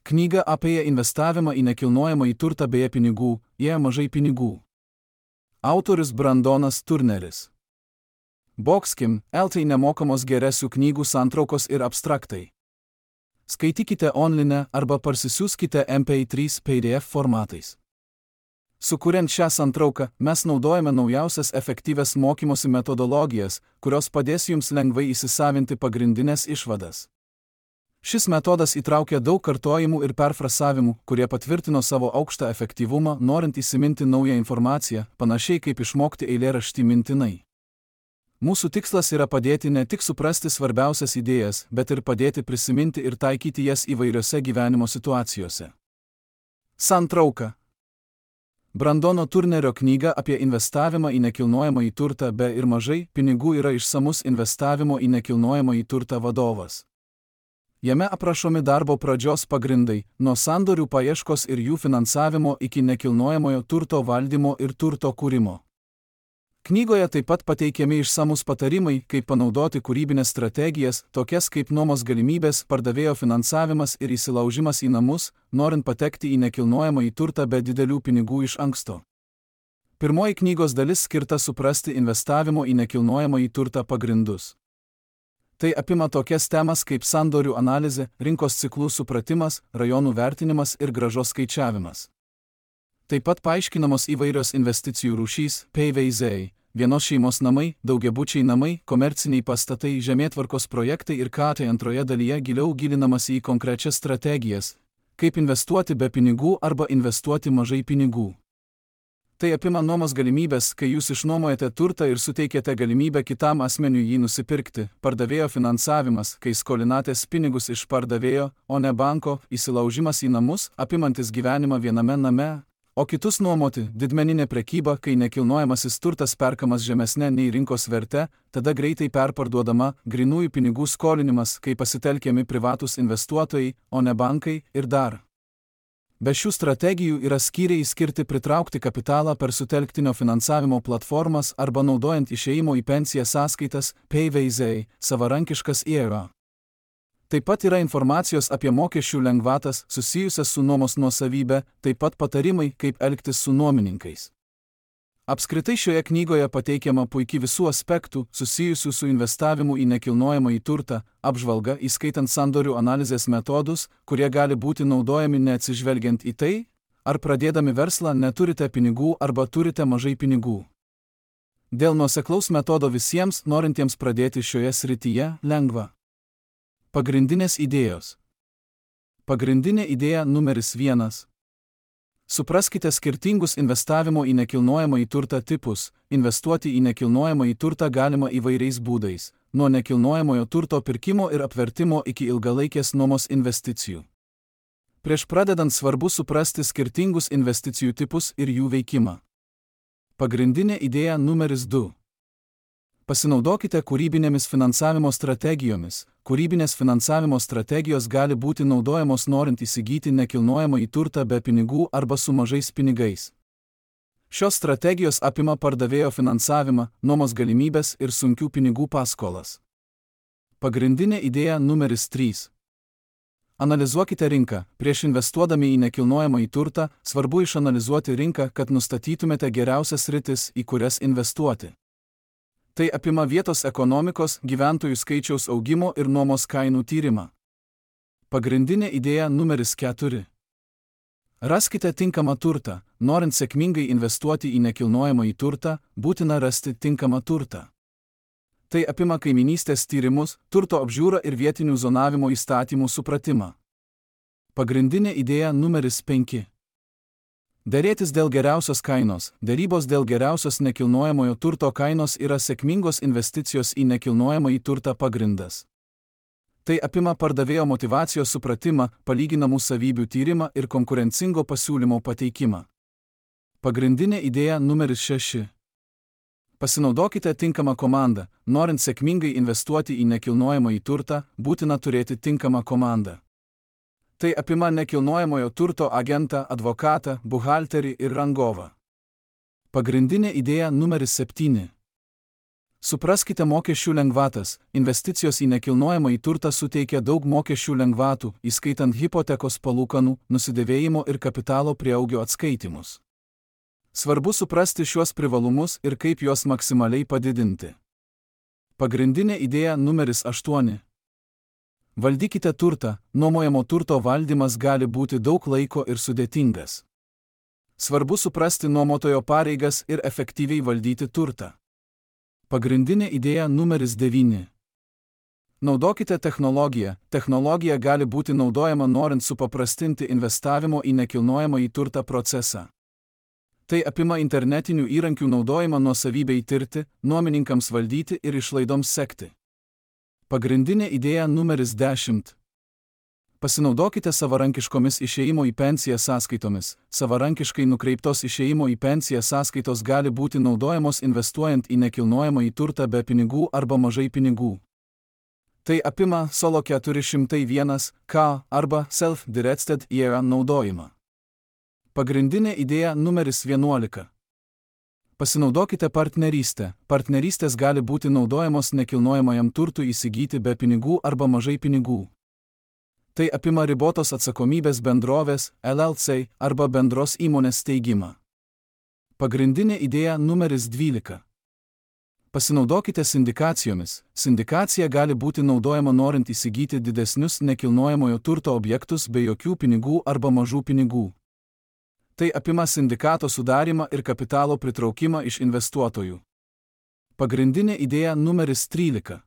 Knyga apie investavimą į nekilnojamąjį turtą bei pinigų, jei mažai pinigų. Autorius Brandonas Turneris. Boxkim, LT nemokamos geresių knygų santraukos ir abstraktai. Skaitykite online arba parsisiųskite MP3 PDF formatais. Sukuriant šią santrauką, mes naudojame naujausias efektyvias mokymosi metodologijas, kurios padės jums lengvai įsisavinti pagrindinės išvadas. Šis metodas įtraukia daug kartojimų ir perfrasavimų, kurie patvirtino savo aukštą efektyvumą, norint įsiminti naują informaciją, panašiai kaip išmokti eilėraštį mintinai. Mūsų tikslas yra padėti ne tik suprasti svarbiausias idėjas, bet ir padėti prisiminti ir taikyti jas įvairiose gyvenimo situacijose. Santrauka. Brandono Turnerio knyga apie investavimą į nekilnojamąjį turtą be ir mažai pinigų yra išsamus investavimo į nekilnojamąjį turtą vadovas. Jame aprašomi darbo pradžios pagrindai, nuo sandorių paieškos ir jų finansavimo iki nekilnojamojo turto valdymo ir turto kūrimo. Knygoje taip pat pateikiami išsamus patarimai, kaip panaudoti kūrybinės strategijas, tokias kaip nuomos galimybės, pardavėjo finansavimas ir įsilaužimas į namus, norint patekti į nekilnojamąjį turtą be didelių pinigų iš anksto. Pirmoji knygos dalis skirta suprasti investavimo į nekilnojamąjį turtą pagrindus. Tai apima tokias temas kaip sandorių analizė, rinkos ciklų supratimas, rajonų vertinimas ir grąžos skaičiavimas. Taip pat paaiškinamos įvairios investicijų rūšys, PVZ, vienos šeimos namai, daugiabučiai namai, komerciniai pastatai, žemėtvarkos projektai ir KT antroje dalyje giliau gilinamasi į konkrečias strategijas, kaip investuoti be pinigų arba investuoti mažai pinigų. Tai apima nuomos galimybės, kai jūs išnuomojate turtą ir suteikėte galimybę kitam asmeniui jį nusipirkti, pardavėjo finansavimas, kai skolinatės pinigus iš pardavėjo, o ne banko, įsilaužimas į namus, apimantis gyvenimą viename name, o kitus nuomoti, didmeninė prekyba, kai nekilnojamasis turtas perkamas žemesne nei rinkos verte, tada greitai perparduodama, grynųjų pinigų skolinimas, kai pasitelkiami privatūs investuotojai, o ne bankai ir dar. Be šių strategijų yra skyriai skirti pritraukti kapitalą per sutelktinio finansavimo platformas arba naudojant išėjimo į pensiją sąskaitas, PVZ, savarankiškas IRA. Taip pat yra informacijos apie mokesčių lengvatas susijusias su nuomos nuosavybė, taip pat patarimai, kaip elgtis su nuomininkais. Apskritai šioje knygoje pateikiama puikiai visų aspektų susijusių su investavimu į nekilnojamąjį turtą, apžvalga įskaitant sandorių analizės metodus, kurie gali būti naudojami neatsižvelgiant į tai, ar pradėdami verslą neturite pinigų arba turite mažai pinigų. Dėl nuoseklaus metodo visiems, norintiems pradėti šioje srityje, lengva. Pagrindinės idėjos. Pagrindinė idėja numeris 1. Supraskite skirtingus investavimo į nekilnojamąjį turtą tipus. Investuoti į nekilnojamąjį turtą galima įvairiais būdais, nuo nekilnojamojo turto pirkimo ir apvertimo iki ilgalaikės nuomos investicijų. Prieš pradedant svarbu suprasti skirtingus investicijų tipus ir jų veikimą. Pagrindinė idėja numeris 2. Pasinaudokite kūrybinėmis finansavimo strategijomis. Kūrybinės finansavimo strategijos gali būti naudojamos norint įsigyti nekilnojamąjį turtą be pinigų arba su mažais pinigais. Šios strategijos apima pardavėjo finansavimą, nuomos galimybės ir sunkių pinigų paskolas. Pagrindinė idėja numeris 3. Analizuokite rinką. Prieš investuodami į nekilnojamąjį turtą, svarbu išanalizuoti rinką, kad nustatytumėte geriausias sritis, į kurias investuoti. Tai apima vietos ekonomikos, gyventojų skaičiaus augimo ir nuomos kainų tyrimą. Pagrindinė idėja numeris 4. Raskite tinkamą turtą. Norint sėkmingai investuoti į nekilnojamąjį turtą, būtina rasti tinkamą turtą. Tai apima kaiminystės tyrimus, turto apžiūrą ir vietinių zonavimo įstatymų supratimą. Pagrindinė idėja numeris 5. Derėtis dėl geriausios kainos. Derybos dėl geriausios nekilnojamojo turto kainos yra sėkmingos investicijos į nekilnojamąjį turtą pagrindas. Tai apima pardavėjo motyvacijos supratimą, palyginamų savybių tyrimą ir konkurencingo pasiūlymo pateikimą. Pagrindinė idėja numeris 6. Pasinaudokite tinkamą komandą. Norint sėkmingai investuoti į nekilnojamąjį turtą, būtina turėti tinkamą komandą. Tai apima nekilnojamojo turto agentą, advokatą, buhalterį ir rangovą. Pagrindinė idėja numeris 7. Supraskite mokesčių lengvatas. Investicijos į nekilnojamąjį turtą suteikia daug mokesčių lengvatų, įskaitant hipotekos palūkanų, nusidėvėjimo ir kapitalo prieaugio atskaitimus. Svarbu suprasti šiuos privalumus ir kaip juos maksimaliai padidinti. Pagrindinė idėja numeris 8. Valdykite turtą. Nuomojamo turto valdymas gali būti daug laiko ir sudėtingas. Svarbu suprasti nuomotojo pareigas ir efektyviai valdyti turtą. Pagrindinė idėja numeris 9. Naudokite technologiją. Technologija gali būti naudojama norint supaprastinti investavimo į nekilnojamąjį turtą procesą. Tai apima internetinių įrankių naudojimą nuosavybei tirti, nuomininkams valdyti ir išlaidoms sekti. Pagrindinė idėja numeris 10. Pasinaudokite savarankiškomis išėjimo į pensiją sąskaitomis. Savarankiškai nukreiptos išėjimo į pensiją sąskaitos gali būti naudojamos investuojant į nekilnojamąjį turtą be pinigų arba mažai pinigų. Tai apima Solo 401K arba Self-Directed IRA naudojimą. Pagrindinė idėja numeris 11. Pasinaudokite partnerystę. Partnerystės gali būti naudojamos nekilnojamajam turtui įsigyti be pinigų arba mažai pinigų. Tai apima ribotos atsakomybės bendrovės, LLC arba bendros įmonės steigimą. Pagrindinė idėja numeris 12. Pasinaudokite sindikacijomis. Sindikacija gali būti naudojama norint įsigyti didesnius nekilnojamojo turto objektus be jokių pinigų arba mažų pinigų. Tai apima sindikato sudarimą ir kapitalo pritraukimą iš investuotojų. Pagrindinė idėja numeris 13.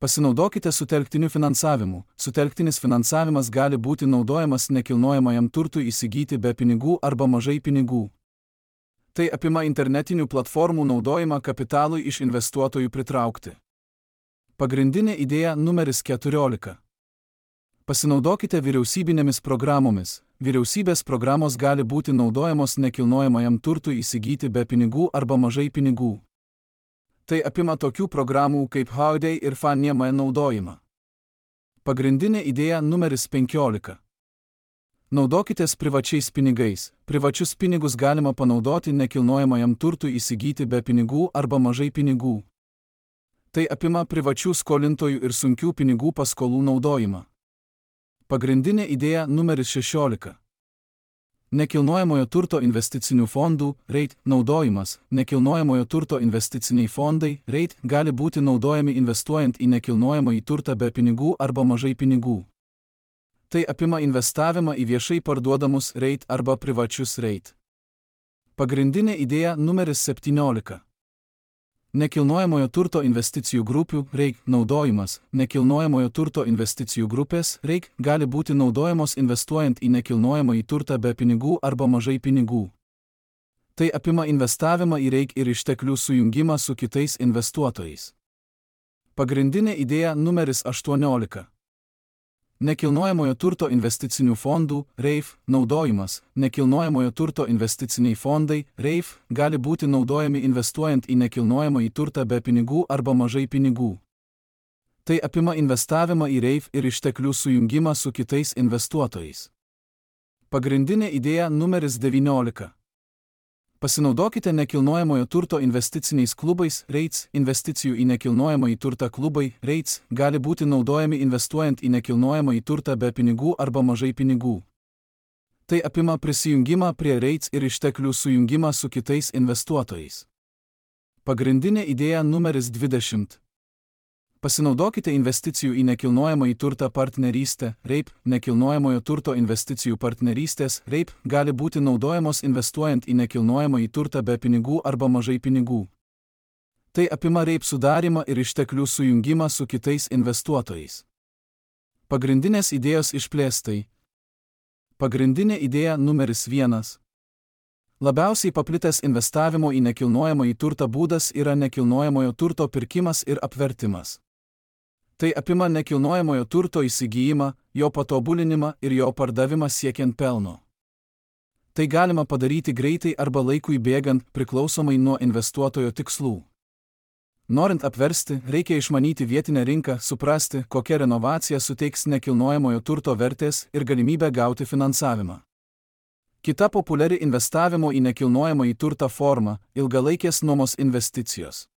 Pasinaudokite sutelktiniu finansavimu. Sutelktinis finansavimas gali būti naudojamas nekilnojamajam turtui įsigyti be pinigų arba mažai pinigų. Tai apima internetinių platformų naudojimą kapitalui iš investuotojų pritraukti. Pagrindinė idėja numeris 14. Pasinaudokite vyriausybinėmis programomis. Vyriausybės programos gali būti naudojamos nekilnojamajam turtui įsigyti be pinigų arba mažai pinigų. Tai apima tokių programų kaip Holiday ir Fannie Mae naudojimą. Pagrindinė idėja numeris 15. Naudokitės privačiais pinigais. Privačius pinigus galima panaudoti nekilnojamajam turtui įsigyti be pinigų arba mažai pinigų. Tai apima privačių skolintojų ir sunkių pinigų paskolų naudojimą. Pagrindinė idėja numeris 16. Nekilnojamojo turto investicinių fondų, REIT, naudojimas. Nekilnojamojo turto investiciniai fondai, REIT, gali būti naudojami investuojant į nekilnojamąjį turtą be pinigų arba mažai pinigų. Tai apima investavimą į viešai parduodamus REIT arba privačius REIT. Pagrindinė idėja numeris 17. Nekilnojamojo turto investicijų grupių, REIT, naudojimas. Nekilnojamojo turto investicijų grupės, REIT, gali būti naudojamos investuojant į nekilnojamąjį turtą be pinigų arba mažai pinigų. Tai apima investavimą į REIT ir išteklių sujungimą su kitais investuotojais. Pagrindinė idėja numeris 18. Nekilnojamojo turto investicinių fondų, REIF, naudojimas. Nekilnojamojo turto investiciniai fondai, REIF, gali būti naudojami investuojant į nekilnojamąjį turtą be pinigų arba mažai pinigų. Tai apima investavimą į REIF ir išteklių sujungimą su kitais investuotojais. Pagrindinė idėja numeris 19. Pasinaudokite nekilnojamojo turto investiciniais klubais, REITs. Investicijų į nekilnojamąjį turtą klubai, REITs, gali būti naudojami investuojant į nekilnojamąjį turtą be pinigų arba mažai pinigų. Tai apima prisijungimą prie REITs ir išteklių sujungimą su kitais investuotojais. Pagrindinė idėja numeris 20. Pasinaudokite investicijų į nekilnojamąjį turtą partnerystę, REIP. Nekilnojamojo turto investicijų partnerystės, REIP, gali būti naudojamos investuojant į nekilnojamąjį turtą be pinigų arba mažai pinigų. Tai apima REIP sudarimą ir išteklių sujungimą su kitais investuotojais. Pagrindinės idėjos išplėstai. Pagrindinė idėja numeris 1. Labiausiai paplitęs investavimo į nekilnojamąjį turtą būdas yra nekilnojamojo turto pirkimas ir apvertimas. Tai apima nekilnojamojo turto įsigijimą, jo patobulinimą ir jo pardavimą siekiant pelno. Tai galima padaryti greitai arba laikui bėgant, priklausomai nuo investuotojo tikslų. Norint apversti, reikia išmanyti vietinę rinką, suprasti, kokia renovacija suteiks nekilnojamojo turto vertės ir galimybę gauti finansavimą. Kita populiari investavimo į nekilnojamąjį turtą forma – ilgalaikės nuomos investicijos.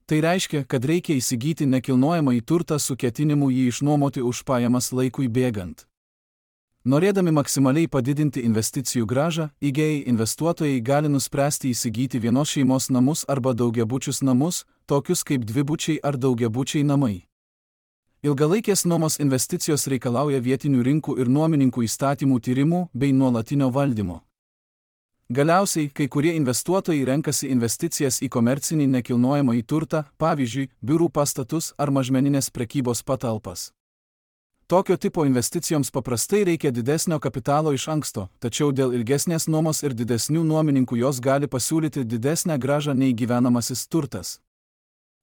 Tai reiškia, kad reikia įsigyti nekilnojamąjį turtą su ketinimu jį išnuomoti už pajamas laikui bėgant. Norėdami maksimaliai padidinti investicijų grąžą, įgėjai investuotojai gali nuspręsti įsigyti vienos šeimos namus arba daugiabučius namus, tokius kaip dvibučiai ar daugiabučiai namai. Ilgalaikės nuomos investicijos reikalauja vietinių rinkų ir nuomininkų įstatymų tyrimų bei nuolatinio valdymo. Galiausiai, kai kurie investuotojai renkasi investicijas į komercinį nekilnojamąjį turtą, pavyzdžiui, biurų pastatus ar mažmeninės prekybos patalpas. Tokio tipo investicijoms paprastai reikia didesnio kapitalo iš anksto, tačiau dėl ilgesnės nuomos ir didesnių nuomininkų jos gali pasiūlyti didesnę grąžą nei gyvenamasis turtas.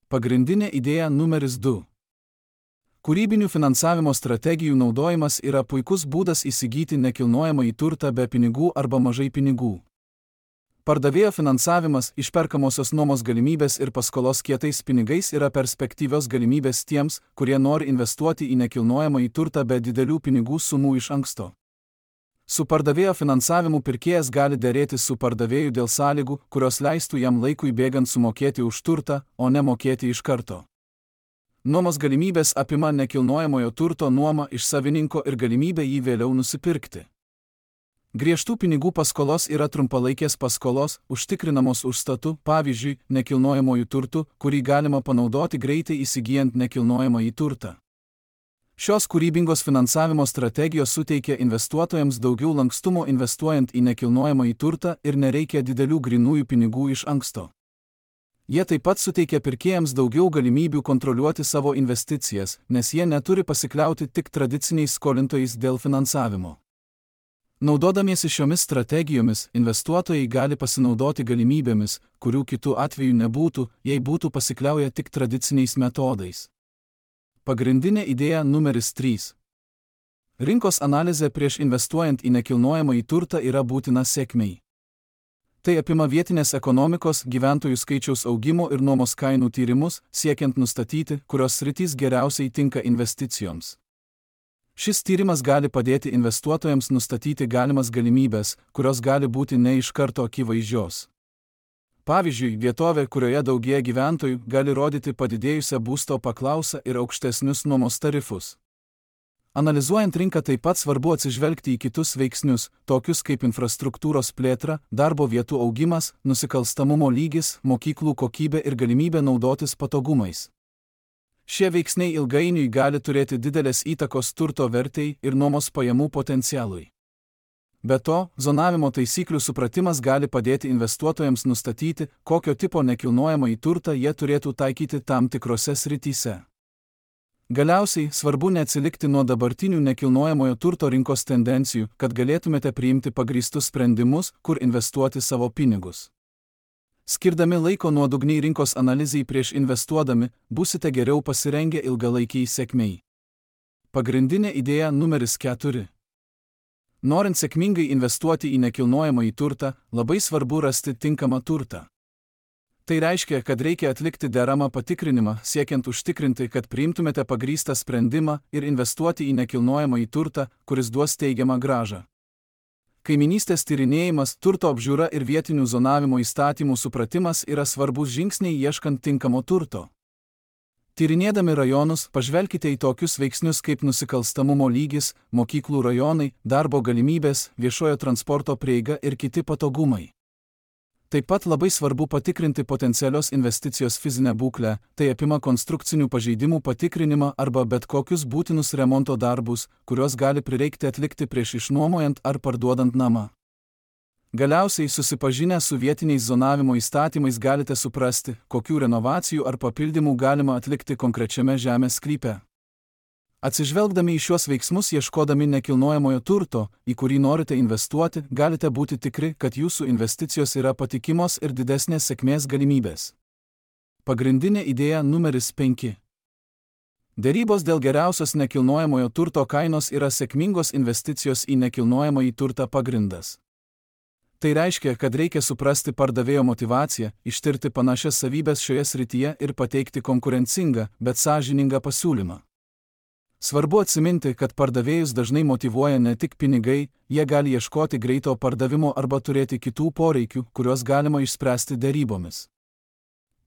Pagrindinė idėja numeris 2. Kūrybinių finansavimo strategijų naudojimas yra puikus būdas įsigyti nekilnojamąjį turtą be pinigų arba mažai pinigų. Pardavėjo finansavimas, išperkamosios nuomos galimybės ir paskolos kietais pinigais yra perspektyvios galimybės tiems, kurie nori investuoti į nekilnojamąjį turtą be didelių pinigų sumų iš anksto. Su pardavėjo finansavimu pirkėjas gali derėtis su pardavėju dėl sąlygų, kurios leistų jam laikui bėgant sumokėti už turtą, o ne mokėti iš karto. Nuomos galimybės apima nekilnojamojo turto nuomą iš savininko ir galimybę jį vėliau nusipirkti. Griežtų pinigų paskolos yra trumpalaikės paskolos, užtikrinamos užstatu, pavyzdžiui, nekilnojamojų turtų, kurį galima panaudoti greitai įsigijant nekilnojamąjį turtą. Šios kūrybingos finansavimo strategijos suteikia investuotojams daugiau lankstumo investuojant į nekilnojamąjį turtą ir nereikia didelių grynųjų pinigų iš anksto. Jie taip pat suteikia pirkėjams daugiau galimybių kontroliuoti savo investicijas, nes jie neturi pasikliauti tik tradiciniais skolintojais dėl finansavimo. Naudodamiesi šiomis strategijomis, investuotojai gali pasinaudoti galimybėmis, kurių kitų atveju nebūtų, jei būtų pasikliauję tik tradiciniais metodais. Pagrindinė idėja numeris 3. Rinkos analizė prieš investuojant į nekilnojamąjį turtą yra būtina sėkmei. Tai apima vietinės ekonomikos, gyventojų skaičiaus augimo ir nuomos kainų tyrimus, siekiant nustatyti, kurios sritys geriausiai tinka investicijoms. Šis tyrimas gali padėti investuotojams nustatyti galimas galimybės, kurios gali būti ne iš karto akivaizdžios. Pavyzdžiui, vietovė, kurioje daugėja gyventojų, gali rodyti padidėjusią būsto paklausą ir aukštesnius nuomos tarifus. Analizuojant rinką taip pat svarbu atsižvelgti į kitus veiksnius, tokius kaip infrastruktūros plėtra, darbo vietų augimas, nusikalstamumo lygis, mokyklų kokybė ir galimybė naudotis patogumais. Šie veiksniai ilgainiui gali turėti didelės įtakos turto vertei ir nuomos pajamų potencialui. Be to, zonavimo taisyklių supratimas gali padėti investuotojams nustatyti, kokio tipo nekilnojamąjį turtą jie turėtų taikyti tam tikrose srityse. Galiausiai, svarbu neatsilikti nuo dabartinių nekilnojamojo turto rinkos tendencijų, kad galėtumėte priimti pagrįstus sprendimus, kur investuoti savo pinigus. Skirdami laiko nuodugniai rinkos analizei prieš investuodami, būsite geriau pasirengę ilgalaikiai sėkmei. Pagrindinė idėja numeris 4. Norint sėkmingai investuoti į nekilnojamąjį turtą, labai svarbu rasti tinkamą turtą. Tai reiškia, kad reikia atlikti deramą patikrinimą, siekiant užtikrinti, kad priimtumėte pagrįstą sprendimą ir investuoti į nekilnojamąjį turtą, kuris duos teigiamą grąžą. Kaiminystės tyrinėjimas, turto apžiūra ir vietinių zonavimo įstatymų supratimas yra svarbus žingsniai ieškant tinkamo turto. Tyrinėdami rajonus, pažvelkite į tokius veiksnius kaip nusikalstamumo lygis, mokyklų rajonai, darbo galimybės, viešojo transporto prieiga ir kiti patogumai. Taip pat labai svarbu patikrinti potencialios investicijos fizinę būklę, tai apima konstrukcinių pažeidimų patikrinimą arba bet kokius būtinus remonto darbus, kuriuos gali prireikti atlikti prieš išnuomojant ar parduodant namą. Galiausiai, susipažinę su vietiniais zonavimo įstatymais galite suprasti, kokių renovacijų ar papildymų galima atlikti konkrečiame žemės sklype. Atsižvelgdami į šiuos veiksmus ieškodami nekilnojamojo turto, į kurį norite investuoti, galite būti tikri, kad jūsų investicijos yra patikimos ir didesnės sėkmės galimybės. Pagrindinė idėja numeris 5. Derybos dėl geriausios nekilnojamojo turto kainos yra sėkmingos investicijos į nekilnojamąjį turtą pagrindas. Tai reiškia, kad reikia suprasti pardavėjo motyvaciją, ištirti panašias savybės šioje srityje ir pateikti konkurencingą, bet sąžiningą pasiūlymą. Svarbu atsiminti, kad pardavėjus dažnai motyvuoja ne tik pinigai, jie gali ieškoti greito pardavimo arba turėti kitų poreikių, kuriuos galima išspręsti derybomis.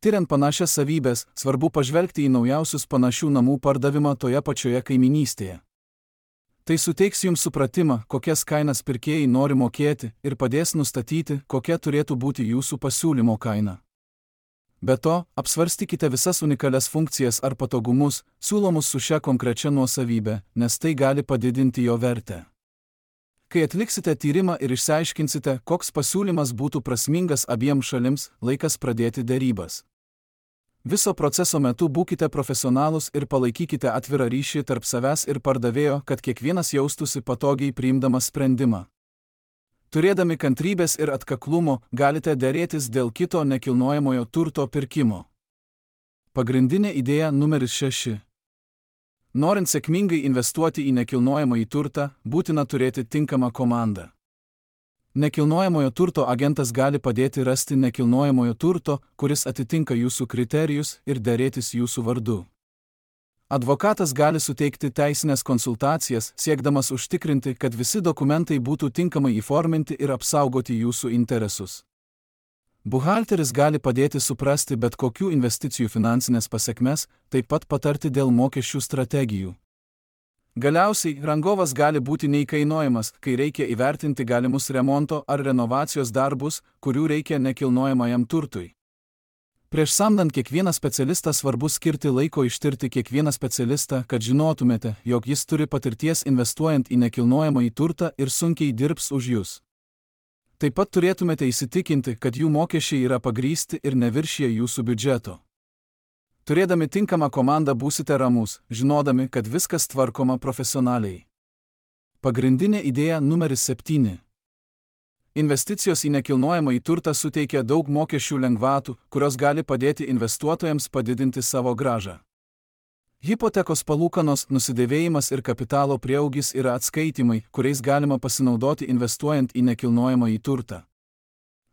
Tiriant panašias savybės, svarbu pažvelgti į naujausius panašių namų pardavimą toje pačioje kaiminystėje. Tai suteiks jums supratimą, kokias kainas pirkėjai nori mokėti ir padės nustatyti, kokia turėtų būti jūsų pasiūlymo kaina. Be to, apsvarstykite visas unikalias funkcijas ar patogumus, siūlomus su šia konkrečia nuosavybė, nes tai gali padidinti jo vertę. Kai atliksite tyrimą ir išsiaiškinsite, koks pasiūlymas būtų prasmingas abiems šalims, laikas pradėti derybas. Viso proceso metu būkite profesionalūs ir palaikykite atvirą ryšį tarp savęs ir pardavėjo, kad kiekvienas jaustųsi patogiai priimdamas sprendimą. Turėdami kantrybės ir atkaklumo, galite derėtis dėl kito nekilnojamojo turto pirkimo. Pagrindinė idėja numeris 6. Norint sėkmingai investuoti į nekilnojamąjį turtą, būtina turėti tinkamą komandą. Nekilnojamojo turto agentas gali padėti rasti nekilnojamojo turto, kuris atitinka jūsų kriterijus ir derėtis jūsų vardu. Advokatas gali suteikti teisinės konsultacijas, siekdamas užtikrinti, kad visi dokumentai būtų tinkamai įforminti ir apsaugoti jūsų interesus. Buhalteris gali padėti suprasti bet kokių investicijų finansinės pasekmes, taip pat patarti dėl mokesčių strategijų. Galiausiai, rangovas gali būti neįkainojamas, kai reikia įvertinti galimus remonto ar renovacijos darbus, kurių reikia nekilnojamajam turtui. Prieš samdant kiekvieną specialistą svarbu skirti laiko ištirti kiekvieną specialistą, kad žinotumėte, jog jis turi patirties investuojant į nekilnojamąjį turtą ir sunkiai dirbs už jus. Taip pat turėtumėte įsitikinti, kad jų mokesčiai yra pagrįsti ir neviršija jūsų biudžeto. Turėdami tinkamą komandą būsite ramus, žinodami, kad viskas tvarkoma profesionaliai. Pagrindinė idėja numeris 7. Investicijos į nekilnojamąjį turtą suteikia daug mokesčių lengvatų, kurios gali padėti investuotojams padidinti savo grąžą. Hipotekos palūkanos, nusidėvėjimas ir kapitalo prieaugis yra atskaitimai, kuriais galima pasinaudoti investuojant į nekilnojamąjį turtą.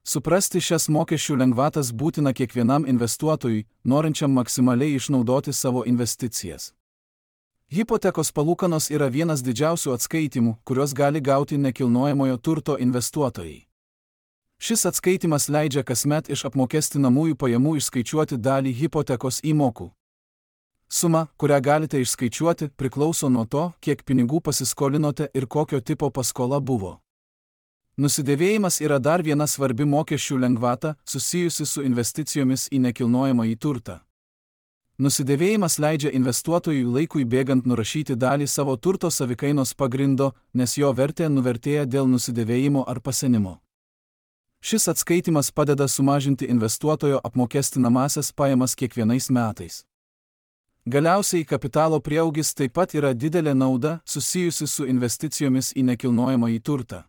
Suprasti šias mokesčių lengvatas būtina kiekvienam investuotojui, norinčiam maksimaliai išnaudoti savo investicijas. Hipotekos palūkanos yra vienas didžiausių atskaitimų, kuriuos gali gauti nekilnojamojo turto investuotojai. Šis atskaitimas leidžia kasmet iš apmokestinamųjų pajamų išskaičiuoti dalį hipotekos įmokų. Suma, kurią galite išskaičiuoti, priklauso nuo to, kiek pinigų pasiskolinote ir kokio tipo paskola buvo. Nusidėvėjimas yra dar viena svarbi mokesčių lengvata, susijusi su investicijomis į nekilnojamąjį turtą. Nusidėvėjimas leidžia investuotojui laikui bėgant nurašyti dalį savo turto savikainos pagrindo, nes jo vertė nuvertėja dėl nusidėvėjimo ar pasenimo. Šis atskaitimas padeda sumažinti investuotojo apmokestinamąsias pajamas kiekvienais metais. Galiausiai kapitalo prieaugis taip pat yra didelė nauda, susijusi su investicijomis į nekilnojamąjį turtą.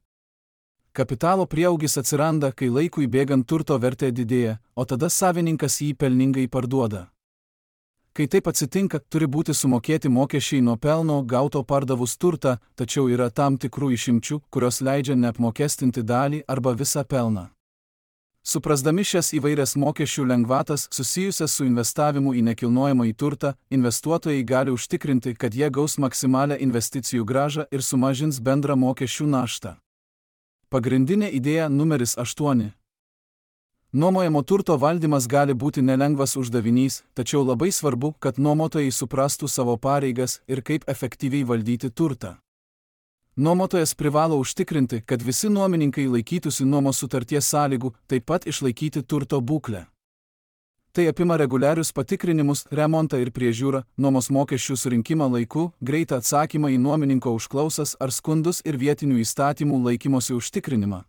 Kapitalo prieaugis atsiranda, kai laikui bėgant turto vertė didėja, o tada savininkas jį pelningai parduoda. Kai taip atsitinka, turi būti sumokėti mokesčiai nuo pelno gauto pardavus turtą, tačiau yra tam tikrų išimčių, kurios leidžia neapmokestinti dalį arba visą pelną. Suprasdami šias įvairias mokesčių lengvatas susijusias su investavimu į nekilnojamąjį turtą, investuotojai gali užtikrinti, kad jie gaus maksimalią investicijų grąžą ir sumažins bendrą mokesčių naštą. Pagrindinė idėja numeris 8. Nuomojamo turto valdymas gali būti nelengvas uždavinys, tačiau labai svarbu, kad nuomotojai suprastų savo pareigas ir kaip efektyviai valdyti turtą. Nuomotojas privalo užtikrinti, kad visi nuomininkai laikytųsi nuomos sutarties sąlygų, taip pat išlaikyti turto būklę. Tai apima reguliarius patikrinimus, remontą ir priežiūrą, nuomos mokesčių surinkimą laiku, greitą atsakymą į nuomininko užklausas ar skundus ir vietinių įstatymų laikymosi užtikrinimą.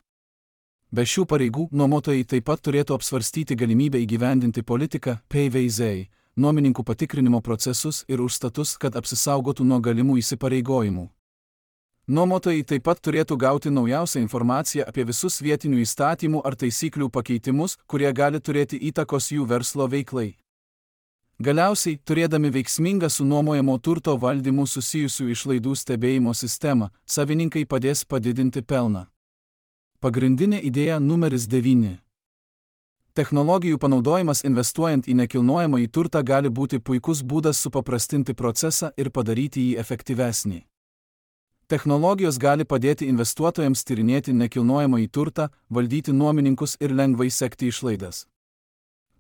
Be šių pareigų, nuomotojai taip pat turėtų apsvarstyti galimybę įgyvendinti politiką, PVZ, nuomininkų patikrinimo procesus ir užstatus, kad apsisaugotų nuo galimų įsipareigojimų. Nuomotojai taip pat turėtų gauti naujausią informaciją apie visus vietinių įstatymų ar taisyklių pakeitimus, kurie gali turėti įtakos jų verslo veiklai. Galiausiai, turėdami veiksmingą su nuomojamo turto valdymu susijusių išlaidų stebėjimo sistemą, savininkai padės padidinti pelną. Pagrindinė idėja numeris 9. Technologijų panaudojimas investuojant į nekilnojamąjį turtą gali būti puikus būdas supaprastinti procesą ir padaryti jį efektyvesnį. Technologijos gali padėti investuotojams tyrinėti nekilnojamąjį turtą, valdyti nuomininkus ir lengvai sekti išlaidas.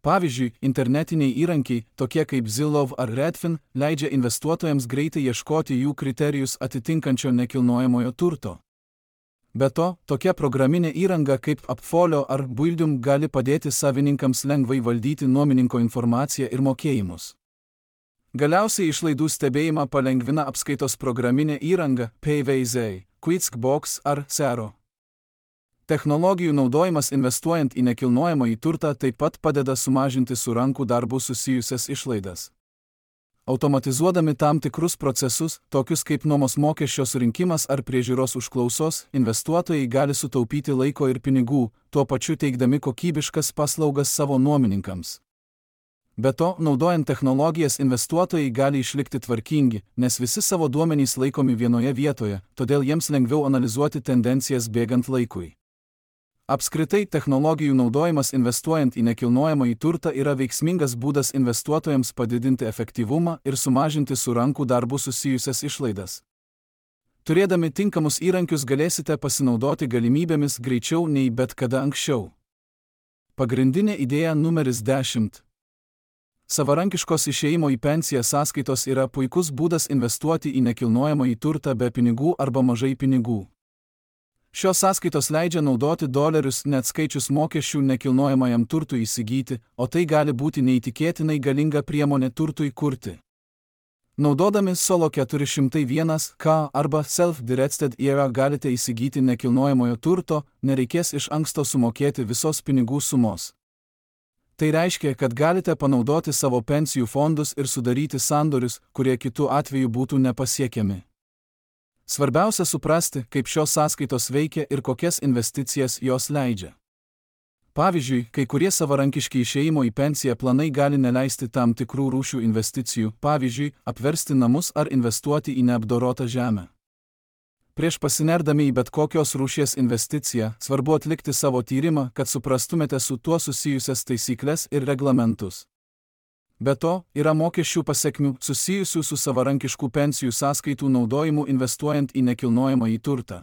Pavyzdžiui, internetiniai įrankiai, tokie kaip Zillow ar Redfin, leidžia investuotojams greitai ieškoti jų kriterijus atitinkančio nekilnojamojo turto. Be to, tokia programinė įranga kaip Appfolio ar Buildium gali padėti savininkams lengvai valdyti nuomininko informaciją ir mokėjimus. Galiausiai išlaidų stebėjimą palengvina apskaitos programinė įranga PayVaizai, QuickBooks ar Xero. Technologijų naudojimas investuojant į nekilnojamąjį turtą taip pat padeda sumažinti su rankų darbu susijusias išlaidas. Automatizuodami tam tikrus procesus, tokius kaip nuomos mokesčio surinkimas ar priežiūros užklausos, investuotojai gali sutaupyti laiko ir pinigų, tuo pačiu teikdami kokybiškas paslaugas savo nuomininkams. Be to, naudojant technologijas investuotojai gali išlikti tvarkingi, nes visi savo duomenys laikomi vienoje vietoje, todėl jiems lengviau analizuoti tendencijas bėgant laikui. Apskritai, technologijų naudojimas investuojant į nekilnojamąjį turtą yra veiksmingas būdas investuotojams padidinti efektyvumą ir sumažinti su rankų darbu susijusias išlaidas. Turėdami tinkamus įrankius galėsite pasinaudoti galimybėmis greičiau nei bet kada anksčiau. Pagrindinė idėja numeris 10. Savarankiškos išėjimo į pensiją sąskaitos yra puikus būdas investuoti į nekilnojamąjį turtą be pinigų arba mažai pinigų. Šios sąskaitos leidžia naudoti dolerius neatskaičius mokesčių nekilnojamajam turtui įsigyti, o tai gali būti neįtikėtinai galinga priemonė turtui kurti. Naudodami Solo 401K arba Self-Directed ERA galite įsigyti nekilnojamojo turto, nereikės iš anksto sumokėti visos pinigų sumos. Tai reiškia, kad galite panaudoti savo pensijų fondus ir sudaryti sandorius, kurie kitu atveju būtų nepasiekiami. Svarbiausia suprasti, kaip šios sąskaitos veikia ir kokias investicijas jos leidžia. Pavyzdžiui, kai kurie savarankiški išėjimo į pensiją planai gali neleisti tam tikrų rūšių investicijų, pavyzdžiui, apversti namus ar investuoti į neapdorotą žemę. Prieš pasinerdami į bet kokios rūšies investiciją, svarbu atlikti savo tyrimą, kad suprastumėte su tuo susijusias taisyklės ir reglamentus. Be to, yra mokesčių pasekmių susijusių su savarankiškų pensijų sąskaitų naudojimu investuojant į nekilnojamąjį turtą.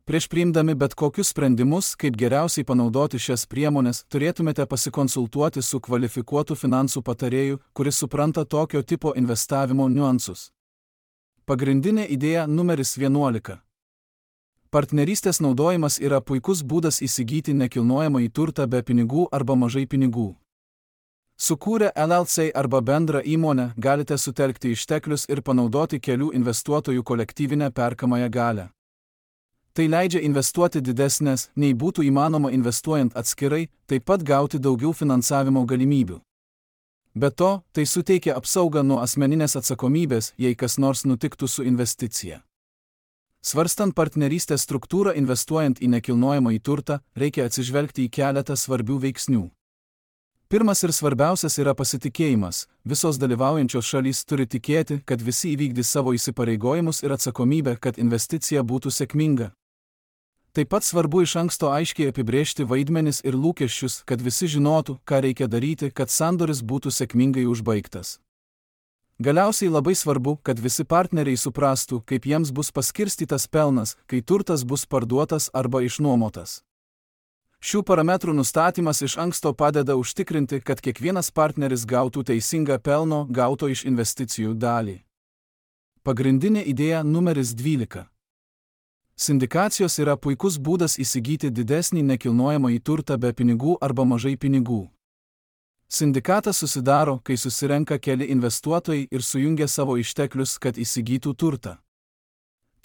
Prieš priimdami bet kokius sprendimus, kaip geriausiai panaudoti šias priemones, turėtumėte pasikonsultuoti su kvalifikuotu finansų patarėju, kuris supranta tokio tipo investavimo niuansus. Pagrindinė idėja numeris 11. Partnerystės naudojimas yra puikus būdas įsigyti nekilnojamąjį turtą be pinigų arba mažai pinigų. Sukūrę LLC arba bendrą įmonę galite sutelkti išteklius ir panaudoti kelių investuotojų kolektyvinę perkamąją galią. Tai leidžia investuoti didesnės, nei būtų įmanoma investuojant atskirai, taip pat gauti daugiau finansavimo galimybių. Be to, tai suteikia apsaugą nuo asmeninės atsakomybės, jei kas nors nutiktų su investicija. Svarstant partnerystės struktūrą investuojant į nekilnojamąjį turtą, reikia atsižvelgti į keletą svarbių veiksnių. Pirmas ir svarbiausias yra pasitikėjimas. Visos dalyvaujančios šalys turi tikėti, kad visi įvykdys savo įsipareigojimus ir atsakomybę, kad investicija būtų sėkminga. Taip pat svarbu iš anksto aiškiai apibrėžti vaidmenis ir lūkesčius, kad visi žinotų, ką reikia daryti, kad sandoris būtų sėkmingai užbaigtas. Galiausiai labai svarbu, kad visi partneriai suprastų, kaip jiems bus paskirstytas pelnas, kai turtas bus parduotas arba išnuomotas. Šių parametrų nustatymas iš anksto padeda užtikrinti, kad kiekvienas partneris gautų teisingą pelno gauto iš investicijų dalį. Pagrindinė idėja numeris 12. Sindikacijos yra puikus būdas įsigyti didesnį nekilnojamąjį turtą be pinigų arba mažai pinigų. Sindikatas susidaro, kai susirenka keli investuotojai ir sujungia savo išteklius, kad įsigytų turtą.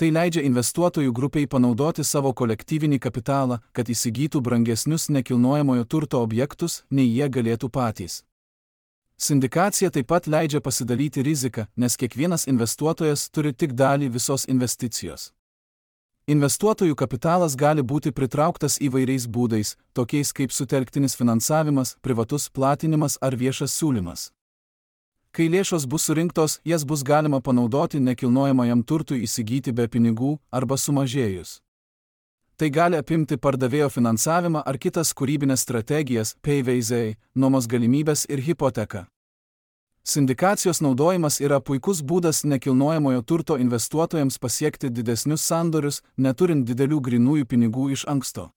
Tai leidžia investuotojų grupiai panaudoti savo kolektyvinį kapitalą, kad įsigytų brangesnius nekilnojamojo turto objektus, nei jie galėtų patys. Sindikacija taip pat leidžia pasidalyti riziką, nes kiekvienas investuotojas turi tik dalį visos investicijos. Investuotojų kapitalas gali būti pritrauktas įvairiais būdais, tokiais kaip sutelktinis finansavimas, privatus platinimas ar viešas siūlymas. Kai lėšos bus surinktos, jas bus galima panaudoti nekilnojamajam turtui įsigyti be pinigų arba sumažėjus. Tai gali apimti pardavėjo finansavimą ar kitas kūrybinės strategijas, PayVaizai, nuomos galimybės ir hipoteką. Sindikacijos naudojimas yra puikus būdas nekilnojamojo turto investuotojams pasiekti didesnius sandorius, neturint didelių grynųjų pinigų iš anksto.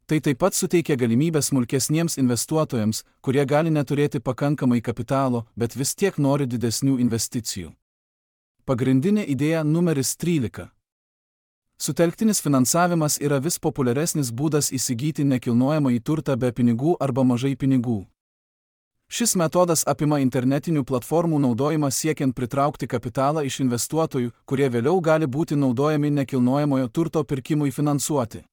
Tai taip pat suteikia galimybę smulkesniems investuotojams, kurie gali neturėti pakankamai kapitalo, bet vis tiek nori didesnių investicijų. Pagrindinė idėja numeris 13. Sutelktinis finansavimas yra vis populiaresnis būdas įsigyti nekilnojamąjį turtą be pinigų arba mažai pinigų. Šis metodas apima internetinių platformų naudojimą siekiant pritraukti kapitalą iš investuotojų, kurie vėliau gali būti naudojami nekilnojamojo turto pirkimui finansuoti.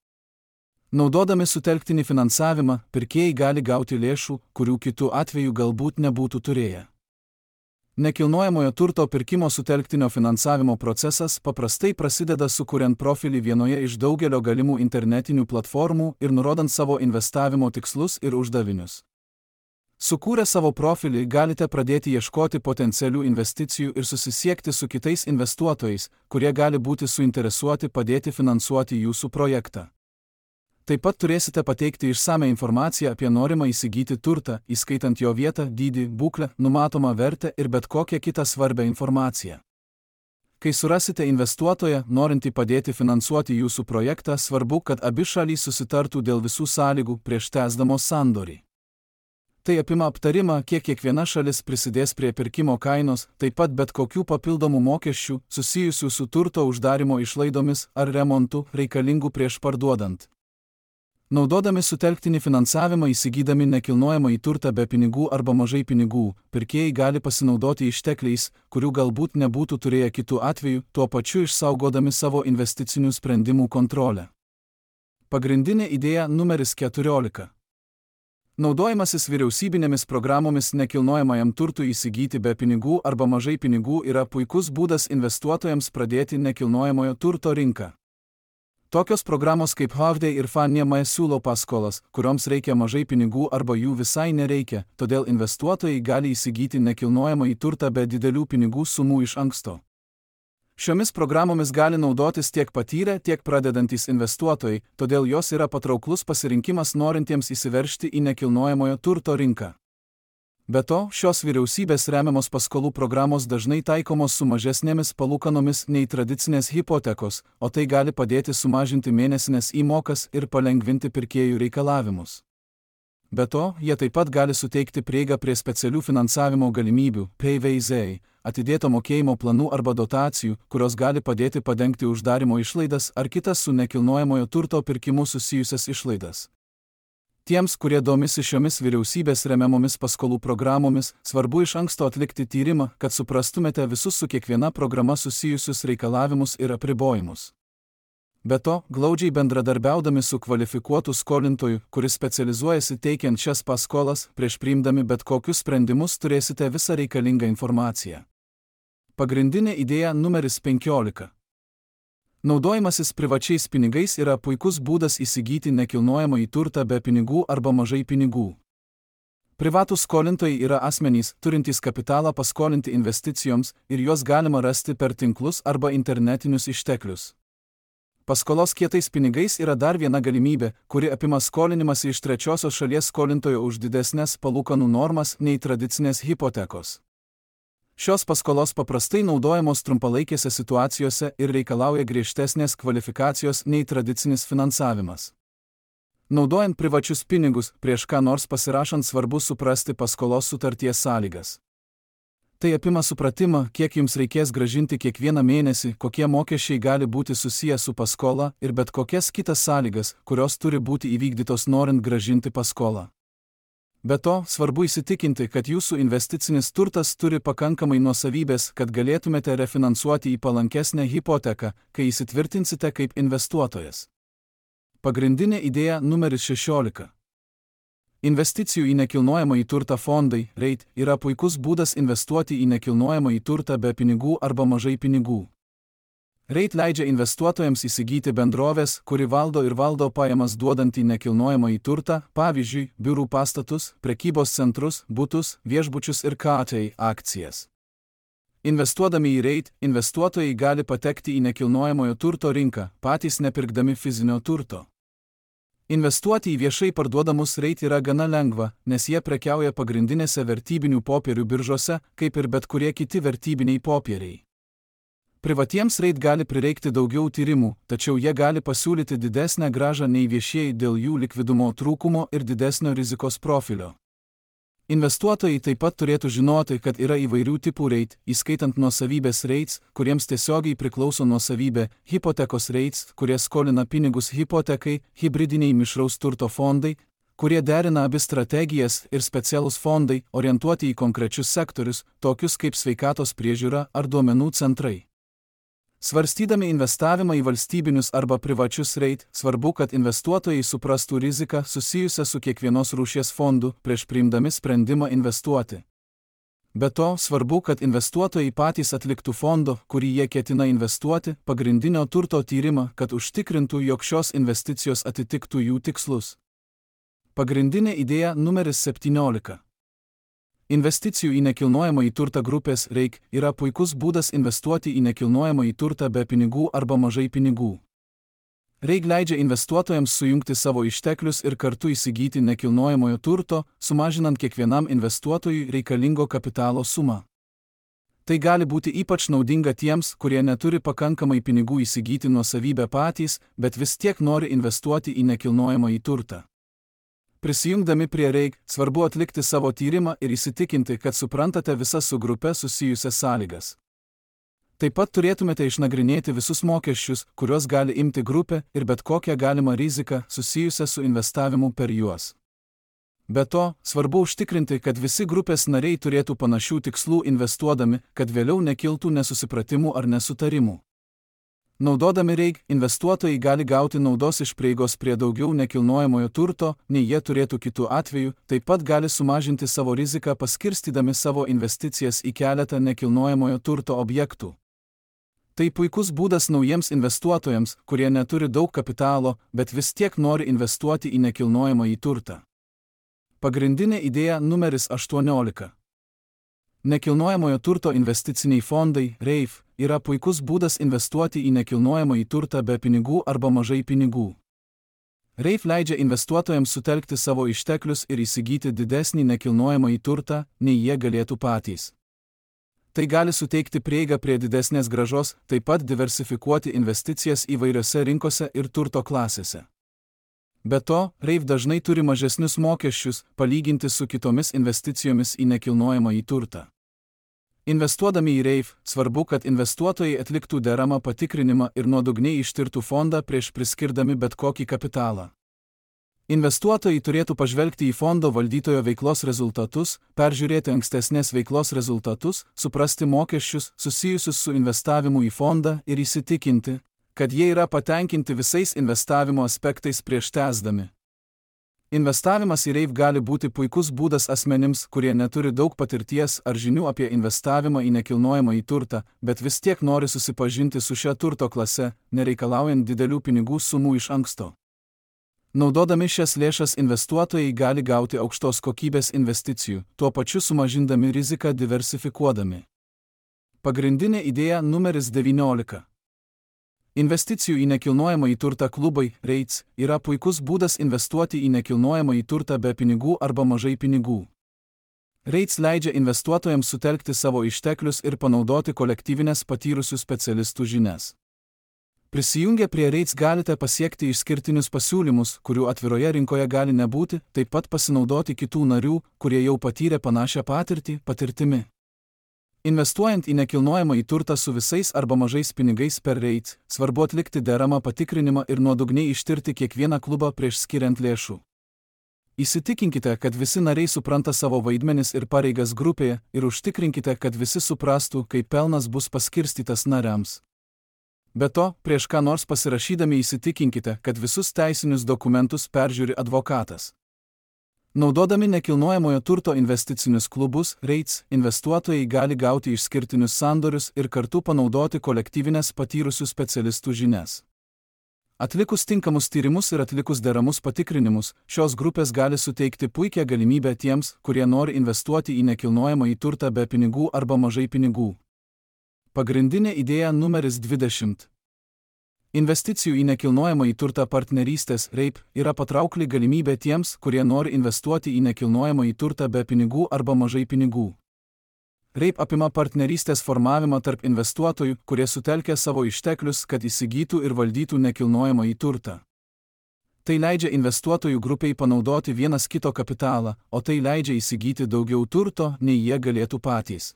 Naudodami sutelktinį finansavimą, pirkėjai gali gauti lėšų, kurių kitu atveju galbūt nebūtų turėję. Nekilnojamojo turto pirkimo sutelktinio finansavimo procesas paprastai prasideda sukuriant profilį vienoje iš daugelio galimų internetinių platformų ir nurodant savo investavimo tikslus ir uždavinius. Sukūrę savo profilį galite pradėti ieškoti potencialių investicijų ir susisiekti su kitais investuotojais, kurie gali būti suinteresuoti padėti finansuoti jūsų projektą. Taip pat turėsite pateikti išsame informaciją apie norimą įsigyti turtą, įskaitant jo vietą, dydį, būklę, numatomą vertę ir bet kokią kitą svarbią informaciją. Kai surasite investuotoją, norintį padėti finansuoti jūsų projektą, svarbu, kad abi šalys susitartų dėl visų sąlygų prieš tęsdamos sandorį. Tai apima aptarimą, kiek kiekviena šalis prisidės prie pirkimo kainos, taip pat bet kokių papildomų mokesčių, susijusių su turto uždarimo išlaidomis ar remontu, reikalingų prieš parduodant. Naudodami sutelktinį finansavimą įsigydami nekilnojamąjį turtą be pinigų arba mažai pinigų, pirkėjai gali pasinaudoti ištekliais, kurių galbūt nebūtų turėję kitų atveju, tuo pačiu išsaugodami savo investicinių sprendimų kontrolę. Pagrindinė idėja numeris 14. Naudojimasis vyriausybinėmis programomis nekilnojamajam turtui įsigyti be pinigų arba mažai pinigų yra puikus būdas investuotojams pradėti nekilnojamojo turto rinką. Tokios programos kaip Hovde ir Fannie Mae siūlo paskolas, kurioms reikia mažai pinigų arba jų visai nereikia, todėl investuotojai gali įsigyti nekilnojamąjį turtą be didelių pinigų sumų iš anksto. Šiomis programomis gali naudotis tiek patyrę, tiek pradedantys investuotojai, todėl jos yra patrauklus pasirinkimas norintiems įsiveržti į nekilnojamojo turto rinką. Be to, šios vyriausybės remiamos paskolų programos dažnai taikomos su mažesnėmis palūkanomis nei tradicinės hipotekos, o tai gali padėti sumažinti mėnesinės įmokas ir palengvinti pirkėjų reikalavimus. Be to, jie taip pat gali suteikti prieigą prie specialių finansavimo galimybių, PVZ, atidėto mokėjimo planų arba dotacijų, kurios gali padėti padengti uždarimo išlaidas ar kitas su nekilnojamojo turto pirkimu susijusias išlaidas. Tiems, kurie domisi šiomis vyriausybės remiamomis paskolų programomis, svarbu iš anksto atlikti tyrimą, kad suprastumėte visus su kiekviena programa susijusius reikalavimus ir apribojimus. Be to, glaudžiai bendradarbiaudami su kvalifikuotu skolintoju, kuris specializuojasi teikiant šias paskolas, prieš priimdami bet kokius sprendimus turėsite visą reikalingą informaciją. Pagrindinė idėja numeris 15. Naudojimasis privačiais pinigais yra puikus būdas įsigyti nekilnojamąjį turtą be pinigų arba mažai pinigų. Privatūs skolintojai yra asmenys, turintys kapitalą paskolinti investicijoms ir juos galima rasti per tinklus arba internetinius išteklius. Paskolos kietais pinigais yra dar viena galimybė, kuri apima skolinimąsi iš trečiosios šalies skolintojo už didesnės palūkanų normas nei tradicinės hipotekos. Šios paskolos paprastai naudojamos trumpalaikėse situacijose ir reikalauja griežtesnės kvalifikacijos nei tradicinis finansavimas. Naudojant privačius pinigus, prieš ką nors pasirašant svarbu suprasti paskolos sutarties sąlygas. Tai apima supratimą, kiek jums reikės grąžinti kiekvieną mėnesį, kokie mokesčiai gali būti susiję su paskola ir bet kokias kitas sąlygas, kurios turi būti įvykdytos norint grąžinti paskolą. Be to, svarbu įsitikinti, kad jūsų investicinis turtas turi pakankamai nuosavybės, kad galėtumėte refinansuoti į palankesnę hipoteką, kai įsitvirtinsite kaip investuotojas. Pagrindinė idėja numeris 16. Investicijų į nekilnojamąjį turtą fondai, REIT, yra puikus būdas investuoti į nekilnojamąjį turtą be pinigų arba mažai pinigų. REIT leidžia investuotojams įsigyti bendrovės, kuri valdo pajamas duodantį nekilnojamąjį turtą, pavyzdžiui, biurų pastatus, prekybos centrus, butus, viešbučius ir KTI akcijas. Investuodami į REIT, investuotojai gali patekti į nekilnojamojo turto rinką, patys nepirkdami fizinio turto. Investuoti į viešai parduodamus REIT yra gana lengva, nes jie prekiauja pagrindinėse vertybinių popierių biržose, kaip ir bet kurie kiti vertybiniai popieriai. Privatiems REIT gali prireikti daugiau tyrimų, tačiau jie gali pasiūlyti didesnę grąžą nei viešieji dėl jų likvidumo trūkumo ir didesnio rizikos profilio. Investuotojai taip pat turėtų žinoti, kad yra įvairių tipų REIT, įskaitant nuosavybės REITs, kuriems tiesiogiai priklauso nuosavybė, hipotekos REITs, kurie skolina pinigus hipotekai, hibridiniai mišraus turto fondai, kurie derina abi strategijas, ir specialūs fondai, orientuoti į konkrečius sektorius, tokius kaip sveikatos priežiūra ar duomenų centrai. Svarstydami investavimą į valstybinius arba privačius REIT, svarbu, kad investuotojai suprastų riziką susijusią su kiekvienos rūšies fondu prieš priimdami sprendimą investuoti. Be to, svarbu, kad investuotojai patys atliktų fondo, kurį jie ketina investuoti, pagrindinio turto tyrimą, kad užtikrintų, jog šios investicijos atitiktų jų tikslus. Pagrindinė idėja numeris 17. Investicijų į nekilnojamąjį turtą grupės REIT yra puikus būdas investuoti į nekilnojamąjį turtą be pinigų arba mažai pinigų. REIT leidžia investuotojams sujungti savo išteklius ir kartu įsigyti nekilnojamojo turto, sumažinant kiekvienam investuotojui reikalingo kapitalo sumą. Tai gali būti ypač naudinga tiems, kurie neturi pakankamai pinigų įsigyti nuosavybę patys, bet vis tiek nori investuoti į nekilnojamąjį turtą. Prisijungdami prie REIT, svarbu atlikti savo tyrimą ir įsitikinti, kad suprantate visas su grupe susijusias sąlygas. Taip pat turėtumėte išnagrinėti visus mokesčius, kuriuos gali imti grupė, ir bet kokią galimą riziką susijusią su investavimu per juos. Be to, svarbu užtikrinti, kad visi grupės nariai turėtų panašių tikslų investuodami, kad vėliau nekiltų nesusipratimų ar nesutarimų. Naudodami REIT, investuotojai gali gauti naudos iš prieigos prie daugiau nekilnojamojo turto, nei jie turėtų kitų atveju, taip pat gali sumažinti savo riziką paskirstydami savo investicijas į keletą nekilnojamojo turto objektų. Tai puikus būdas naujiems investuotojams, kurie neturi daug kapitalo, bet vis tiek nori investuoti į nekilnojamąjį turtą. Pagrindinė idėja numeris 18. Nekilnojamojo turto investiciniai fondai, REIF, yra puikus būdas investuoti į nekilnojamąjį turtą be pinigų arba mažai pinigų. REIF leidžia investuotojams sutelkti savo išteklius ir įsigyti didesnį nekilnojamąjį turtą, nei jie galėtų patys. Tai gali suteikti prieigą prie didesnės grąžos, taip pat diversifikuoti investicijas įvairiose rinkose ir turto klasėse. Be to, REIF dažnai turi mažesnius mokesčius, palyginti su kitomis investicijomis į nekilnojamąjį turtą. Investuodami į REIF, svarbu, kad investuotojai atliktų deramą patikrinimą ir nuodugniai ištirtų fondą prieš priskirdami bet kokį kapitalą. Investuotojai turėtų pažvelgti į fondo valdytojo veiklos rezultatus, peržiūrėti ankstesnės veiklos rezultatus, suprasti mokesčius susijusius su investavimu į fondą ir įsitikinti, kad jie yra patenkinti visais investavimo aspektais prieš tęsdami. Investavimas į REIF gali būti puikus būdas asmenims, kurie neturi daug patirties ar žinių apie investavimą į nekilnojamąjį turtą, bet vis tiek nori susipažinti su šia turto klase, nereikalaujant didelių pinigų sumų iš anksto. Naudodami šias lėšas investuotojai gali gauti aukštos kokybės investicijų, tuo pačiu sumažindami riziką diversifikuodami. Pagrindinė idėja numeris 19. Investicijų į nekilnojamąjį turtą klubai, REITs, yra puikus būdas investuoti į nekilnojamąjį turtą be pinigų arba mažai pinigų. REITs leidžia investuotojams sutelkti savo išteklius ir panaudoti kolektyvinės patyrusių specialistų žinias. Prisijungę prie REITs galite pasiekti išskirtinius pasiūlymus, kurių atviroje rinkoje gali nebūti, taip pat pasinaudoti kitų narių, kurie jau patyrė panašią patirtimi. Investuojant į nekilnojamąjį turtą su visais arba mažais pinigais per REIT, svarbu atlikti deramą patikrinimą ir nuodugniai ištirti kiekvieną klubą prieš skiriant lėšų. Įsitikinkite, kad visi nariai supranta savo vaidmenis ir pareigas grupėje ir užtikrinkite, kad visi suprastų, kaip pelnas bus paskirstytas nariams. Be to, prieš ką nors pasirašydami įsitikinkite, kad visus teisinius dokumentus peržiūri advokatas. Naudodami nekilnojamojo turto investicinius klubus, REITs, investuotojai gali gauti išskirtinius sandorius ir kartu panaudoti kolektyvinės patyrusių specialistų žinias. Atlikus tinkamus tyrimus ir atlikus deramus patikrinimus, šios grupės gali suteikti puikią galimybę tiems, kurie nori investuoti į nekilnojamąjį turtą be pinigų arba mažai pinigų. Pagrindinė idėja numeris 20. Investicijų į nekilnojamąjį turtą partnerystės REIP yra patraukli galimybė tiems, kurie nori investuoti į nekilnojamąjį turtą be pinigų arba mažai pinigų. REIP apima partnerystės formavimą tarp investuotojų, kurie sutelkia savo išteklius, kad įsigytų ir valdytų nekilnojamąjį turtą. Tai leidžia investuotojų grupiai panaudoti vienas kito kapitalą, o tai leidžia įsigyti daugiau turto, nei jie galėtų patys.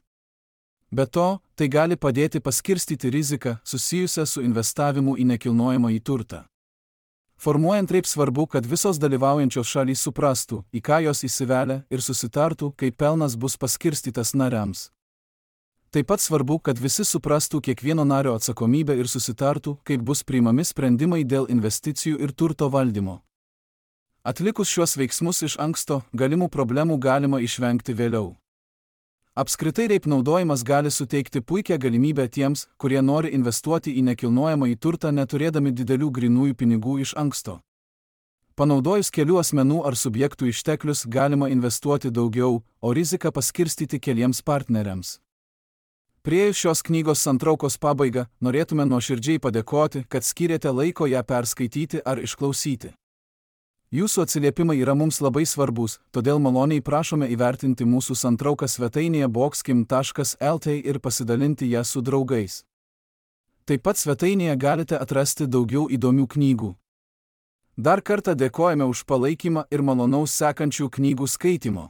Be to, tai gali padėti paskirstyti riziką susijusią su investavimu į nekilnojamąjį turtą. Formuojant REIP svarbu, kad visos dalyvaujančios šalys suprastų, į ką jos įsivelia ir susitartų, kaip pelnas bus paskirstytas nariams. Taip pat svarbu, kad visi suprastų kiekvieno nario atsakomybę ir susitartų, kaip bus priimami sprendimai dėl investicijų ir turto valdymo. Atlikus šiuos veiksmus iš anksto, galimų problemų galima išvengti vėliau. Apskritai REIP naudojimas gali suteikti puikią galimybę tiems, kurie nori investuoti į nekilnojamąjį turtą neturėdami didelių grynųjų pinigų iš anksto. Panaudojus kelių asmenų ar subjektų išteklius galima investuoti daugiau, o riziką paskirstyti keliems partneriams. Priėjus šios knygos santraukos pabaigą, norėtume nuoširdžiai padėkoti, kad skyrėte laiko ją perskaityti ar išklausyti. Jūsų atsiliepimai yra mums labai svarbus, todėl maloniai prašome įvertinti mūsų santrauką svetainėje boxkim.lt ir pasidalinti ją su draugais. Taip pat svetainėje galite atrasti daugiau įdomių knygų. Dar kartą dėkojame už palaikymą ir malonaus sekančių knygų skaitymo.